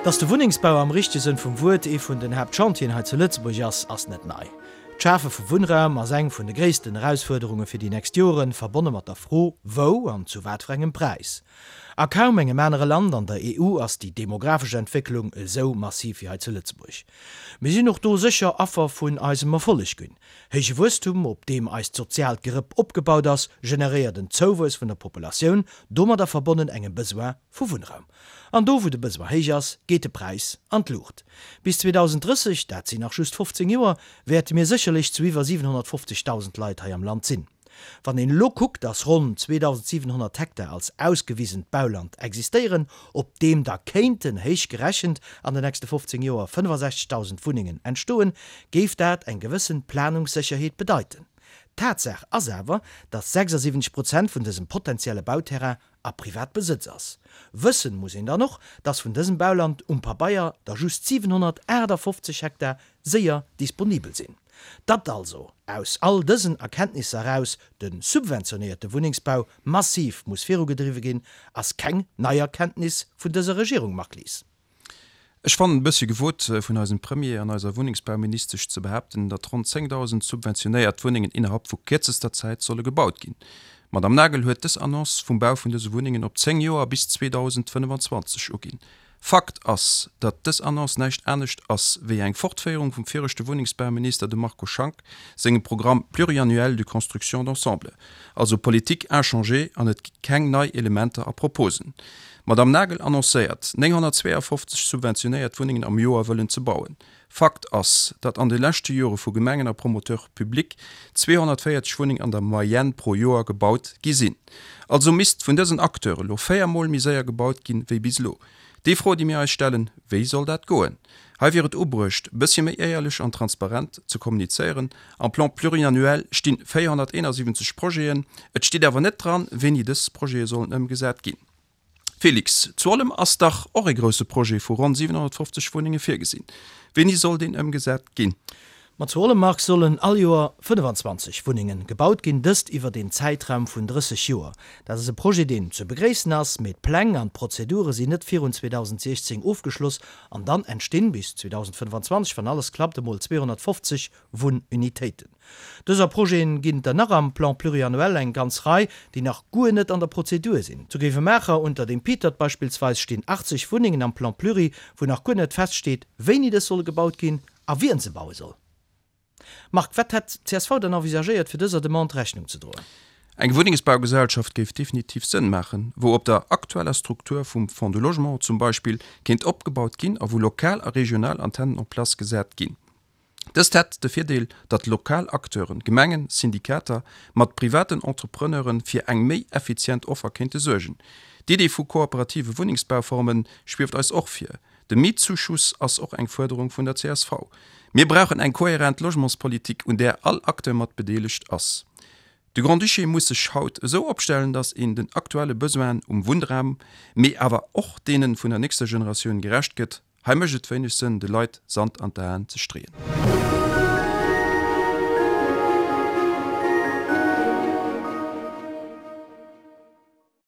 Dass de Wunnengsbau am richtege Sënn vum Wuert ee vun den Haaptchantieren hei zu Lëtzebuerg ass, ass net nei. D'Schafe vu Wunnraum ass eng vun de gréissten Erausfuerderunge fir déi nächst Joren, verbonne mat der Fro, wou an zu wat fir engem Präis. A kaum engem anere Land an der EU ass déi demografesch Entwécklung esou massiv wéi hei zu Lëtzebuerg. Mir sinn och do sécher Affer vun eisem Erfolleg ginn. Héije Wuesstum, op deem eist soziaalt Gerëpp opgebaut ass, generéiert en Zouwuess vun der Populatioun, domadder verbonnen engem Besoin vu Wunnraum. An do wou de Besoin héich ass, geet de Präis an d'Luucht. Bis 2030, dat sinn nach just 15 Joer, wäerte mir sécherlech zu iwwer 750.000 Leit hei am Land sinn. Wann een elo kuckt, dass ronn 2.700 Hektar als ausgewisent Bauland existéieren, op deem da kéinten, héich gerechent, an de nächste 15 Joer 65.000 Wunnengen entstoen, géif dat eng gewëssen Planungssécherheet bedeiten. Tatsaach ass awer, dass 76 Prozent vun dësem potenzielle Bauterrain a Privatbesëtz ass. Wëssen muss een dann och, dass vun dësem Bauland um Pabeier der just 758 Hektar séier disponibel sinn. Datt also aus all dësen Erkenntnisser eraus de subventionéierte Wunnengsbau massiv muss virugedriwwe ginn, ass keng nei Erkenntnis vun dëser Regierung, Marc Lies. Ech fannen et e bëssche gewot vun eisem Premier an eiser Wunnengsbauministesch ze behaapten, datt ronn 10.000 subventionéiert Wunnengen innerhalb vu kierzester Zäit solle gebaut ginn. D'Madame Nagel huet dës Annonce vum Bau vun dëse Wunnengen op 10 Joer bis 2025 uginn. Fakt ass, datt dës Annonce näischt anescht ass wéi eng Fortféierung vum viregte Wunnengsbauminister, dem Marco Schank, sengem Programme pluriannuel de construction d'ensemble. Also Politique inchangée an et gi keng nei Elementer a Proposen. D'Madame Nagel annoncéiert, 952 subventionéiert Wunnengen am Joer wëllen ze bauen. Fakt ass, datt an de leschte Jore vu Gemengen a Promoteurs publics 240 Wunnengen an der Moyenne pro Joer gebaut gi sinn. Also misst vun dësen Acteure lo 4 Mol méi séier gebaut ginn, wéi bis elo. Déi Fro, déi mir eis stellen, Wéi soll dat goen? Hei wier et ubruecht, bëssche méi éierlech an transparent ze kommunizéieren. Am Plan pluriannuel stinn 471 Projeten, et steet awer net dran, wéini dës Projete sollen ëmgesat ginn. Félix, zu Ollem ass dach och e grousse Projet vu ronn 750 Wunnenge virgesinn. Wéini soll deen ëmgesat ginn? Ma zu Ollem, Marc, sollen all Joer 25 Wunnenge gebaut ginn, dëst iwwert een Zäitraum vun 30 Joer. Dat ass e Projet, deen ze begréissen ass, mee d'Pläng an d'Prozedure sinn net virun 2016 ofgeschloss an dann entstinn bis 2025, wann alles klappt, emol 250 Wunnunitéiten. Dëser Projeten ginn et der nach am Plan pluriannuel eng ganz Rei, déi nach guer net an der Prozedur sinn. Zu Gréiwemaacher unter dem Pitert beispillsweis stinn 80 Wunnengen am Plan pluri, wou nach guer net feststeet, wéini dës solle gebaut ginn a wien se baue soll. Marc, wat hätt csv dann envisagéiert, fir dëser Demande Rechnung ze droen? Eng Wunnengsbaugesellschaft géif definitiv Sënn maachen, wou op der aktueller Struktur vum Fonds du Logement zum Beispill kéint opgebaut ginn a wou lokal a regional Antennen en place gesat ginn. Dëst hätt de Virdeel, datt lokal Acteuren, Gemengen, Syndikater, mat privaten Entrepreneuren fir eng méi effizient Offer kéinte suergen. D'Idee vu kooperative Wunnengsbauformen schwieft eis och vir. De Mietzuschuss ass och eng Fuerderung vun der csv. Mir brauchen eng kohärent Logementspolitik, un där all Acteur mat bedeelegt ass. De Grand-Duché muss sech haut esou opstellen, datt een den aktuelle Besoinen um Wunnraum, mee awer och deene vun der nächster Generatioun gerecht gëtt. Hei mécht et wéineg Sënn, de Leit Sand an d'Aen ze streeën.